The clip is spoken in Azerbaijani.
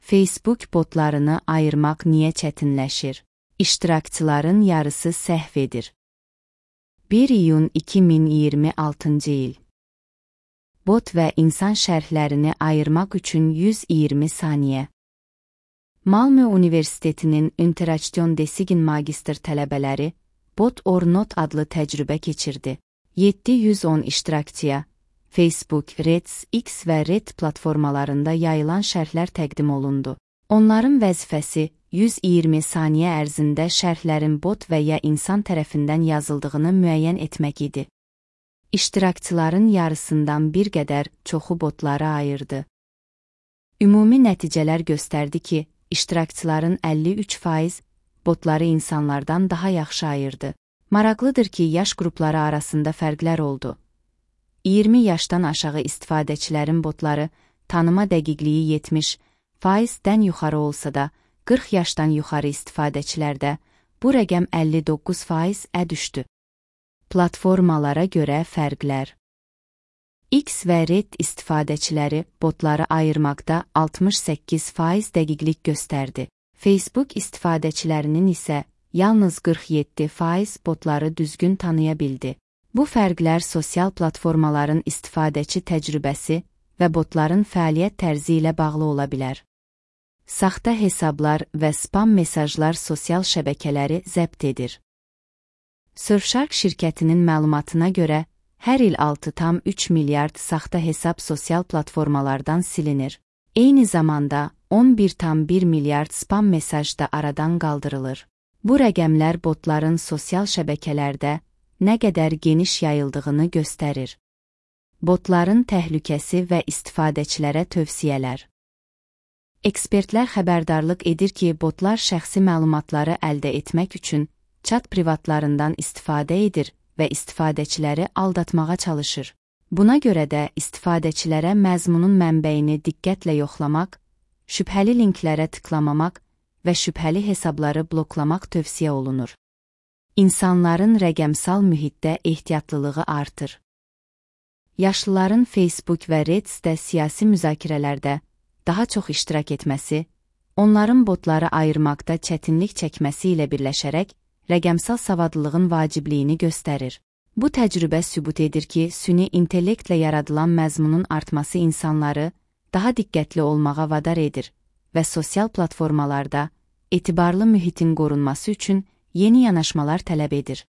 Facebook botlarını ayırmaq niyə çətinləşir? İştirakçıların yarısı səhv edir. 1 iyun 2026 il. Bot və insan şərhlərini ayırmaq üçün 120 saniyə. Malmö Universitetinin İnteraksiyon Design magistr tələbələri Bot or Not adlı təcrübə keçirdi. 710 iştirakçıya Facebook, Threads, X və Reddit platformalarında yayılan şərhlər təqdim olundu. Onların vəzifəsi 120 saniyə ərzində şərhlərin bot və ya insan tərəfindən yazıldığını müəyyən etmək idi. İştirakçıların yarısından bir qədər çoxu botlara ayırdı. Ümumi nəticələr göstərdi ki, iştirakçıların 53% botları insanlardan daha yaxşı ayırdı. Maraqlıdır ki, yaş qrupları arasında fərqlər oldu. 20 yaşdan aşağı istifadəçilərin botları tanıma dəqiqliyi 70%-dən yuxarı olsa da, 40 yaşdan yuxarı istifadəçilərdə bu rəqəm 59%-ə düşdü. Platformalara görə fərqlər. X və Reddit istifadəçiləri botları ayırmaqda 68% dəqiqlik göstərdi. Facebook istifadəçilərinin isə yalnız 47% botları düzgün tanıya bildi. Bu fərqlər sosial platformaların istifadəçi təcrübəsi və botların fəaliyyət tərzi ilə bağlı ola bilər. Saxta hesablar və spam mesajlar sosial şəbəkələri zəbt edir. Surfshark şirkətinin məlumatına görə, hər il 6,3 milyard saxta hesab sosial platformalardan silinir. Eyni zamanda 11,1 milyard spam mesaj da aradan qaldırılır. Bu rəqəmlər botların sosial şəbəkələrdə nə qədər geniş yayıldığını göstərir. Botların təhlükəsi və istifadəçilərə tövsiyələr. Ekspertlər xəbərdarlıq edir ki, botlar şəxsi məlumatları əldə etmək üçün chat privatlarından istifadə edir və istifadəçiləri aldatmağa çalışır. Buna görə də istifadəçilərə məzmunun mənbəyini diqqətlə yoxlamaq, şübhəli linklərə tıklamamaq və şübhəli hesabları bloklamaq tövsiyə olunur. İnsanların rəqəmsal mühitdə ehtiyatlılığı artır. Yaşlıların Facebook və Reddit'də siyasi müzakirələrdə daha çox iştirak etməsi, onların botları ayırmaqda çətinlik çəkməsi ilə birləşərək rəqəmsal savadlılığın vacibliyini göstərir. Bu təcrübə sübut edir ki, süni intellektlə yaradılan məzmunun artması insanları daha diqqətli olmağa vadar edir və sosial platformalarda etibarlı mühitin qorunması üçün yeni yanaşmalar tələb edir.